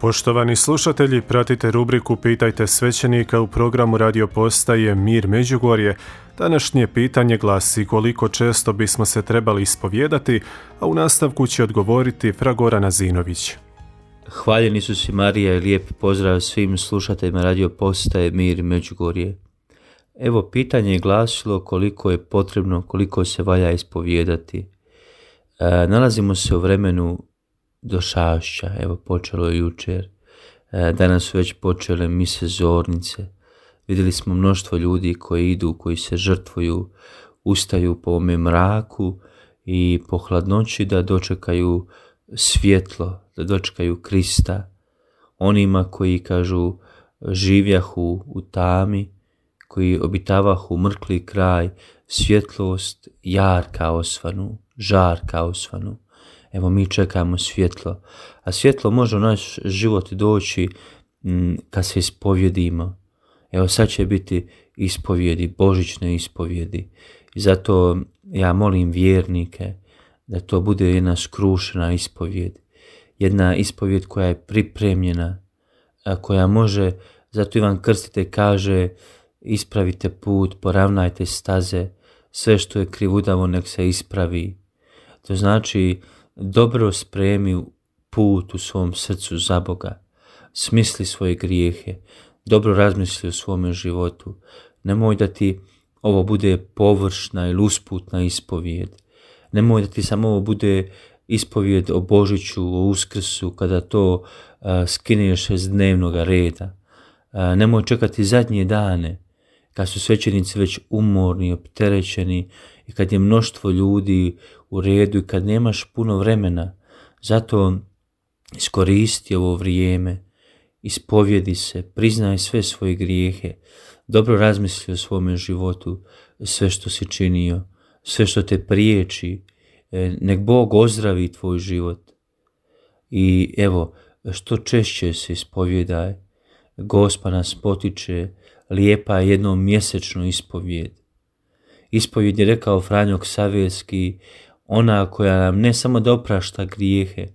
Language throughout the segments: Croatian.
Poštovani slušatelji, pratite rubriku Pitajte svećenika u programu radio postaje Mir Međugorje. Današnje pitanje glasi: koliko često bismo se trebali ispovijedati, a u nastavku će odgovoriti fra Goran Azinović. Hvaljen Isus i Marija i lijep pozdrav svim slušateljima radio postaje Mir Međugorje. Evo, pitanje je glasilo koliko je potrebno, koliko se valja ispovijedati. Nalazimo se u vremenu došašća, evo počelo je jučer, danas su već počele mise zornice. Vidjeli smo mnoštvo ljudi koji idu, koji se žrtvuju, ustaju po ovome mraku i po hladnoći da dočekaju svjetlo, da dočekaju Krista. Onima koji kažu živjahu u tami, koji obitavahu mrkli kraj, svjetlost jarka osvanu, žarka osvanu. Evo, mi čekamo svjetlo, a svjetlo može u naš život doći kad se ispovjedimo. Evo, sad će biti ispovjedi, božićne ispovjedi. I zato ja molim vjernike da to bude jedna skrušena ispovjed. Jedna ispovjed koja je pripremljena, koja može, zato Ivan Krstitelj kaže: ispravite put, poravnajte staze, sve što je krivudavo nek se ispravi. To znači, dobro spremi put u svom srcu za Boga, smisli svoje grijehe, dobro razmisli o svome životu. Nemoj da ti ovo bude površna ili usputna ispovijed. Nemoj da ti samo ovo bude ispovijed o Božiću, o Uskrsu, kada to skineš iz dnevnog reda. Nemoj čekati zadnje dane, kad su svećenici već umorni, opterećeni i kad je mnoštvo ljudi u redu i kad nemaš puno vremena. Zato iskoristi ovo vrijeme, ispovjedi se, priznaj sve svoje grijehe, dobro razmisli o svome životu, sve što si činio, sve što te priječi, nek Bog ozdravi tvoj život. I evo, što češće se ispovjedaj, Gospa nas potiče, lijepa je jednom mjesečno ispovjed. Ispovjed je, rekao Franjo Ksavjerski, ona koja nam ne samo da oprašta grijehe,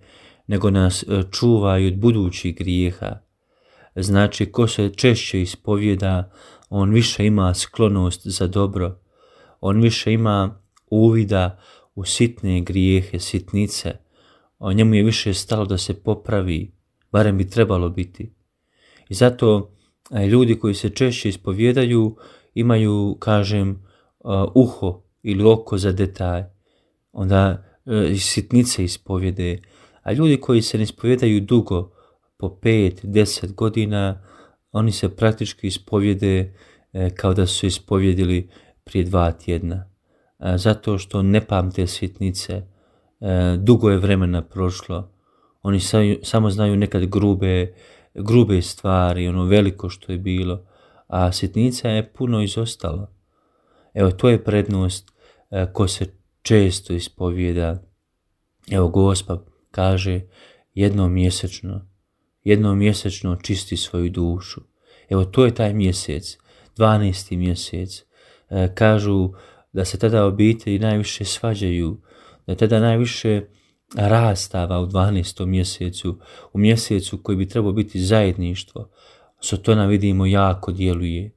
nego nas čuva i od budućih grijeha. Znači, ko se češće ispovjeda, on više ima sklonost za dobro, on više ima uvida u sitne grijehe, sitnice, o njemu je više stalo da se popravi, barem bi trebalo biti. I zato ljudi koji se češće ispovjedaju imaju, kažem, uho ili oko za detalj, onda sitnice ispovjede. A ljudi koji se ne ispovjedaju dugo, po 5-10 godina, oni se praktički ispovjede kao da su ispovjedili prije 2 tjedna. Zato što ne pamte sitnice, dugo je vremena prošlo, oni samo znaju nekad grube stvari, ono veliko što je bilo, a sitnica je puno izostalo. Evo, to je prednost ko se često ispovjeda. Evo, Gospa kaže jednom mjesečno čisti svoju dušu. Evo, to je taj mjesec, 12. mjesec. Kažu da se tada obitelji najviše svađaju, da tada najviše rastava u 12. mjesecu, u mjesecu koji bi trebao biti zajedništvo. Sotona, vidimo, jako djeluje.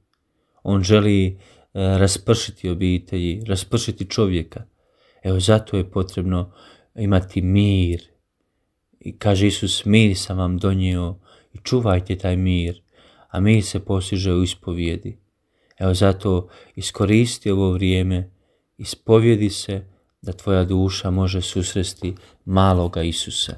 On želi raspršiti obitelji, raspršiti čovjeka. Evo, zato je potrebno imati mir. I kaže Isus: mir sam vam donio i čuvajte taj mir, a mir se postiže u ispovjedi. Evo, zato iskoristi ovo vrijeme, ispovjedi se, da tvoja duša može susresti maloga Isusa.